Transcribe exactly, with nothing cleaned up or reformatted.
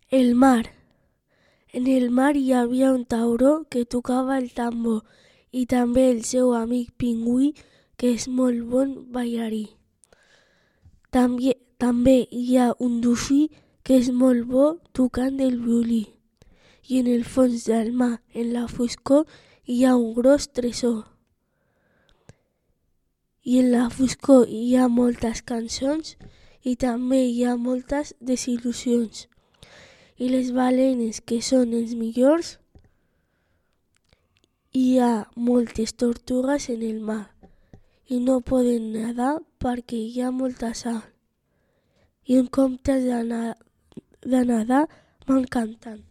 El mar. En el mar hi havia un tauró que tocava el tambor i també el seu amic pingüí, que és molt bon ballarí. També, també hi ha un dofí que és molt bo tocant el violí. I en el fons del mar, en la foscor, hi ha un gros tresor. I en la foscor hi ha moltes cançons i també hi ha moltes desil·lusions. I les balenes, que són els millors, hi ha moltes tortugues en el mar i no poden nedar perquè hi ha molta sal. I en comptes de, na- de nedar van cantant.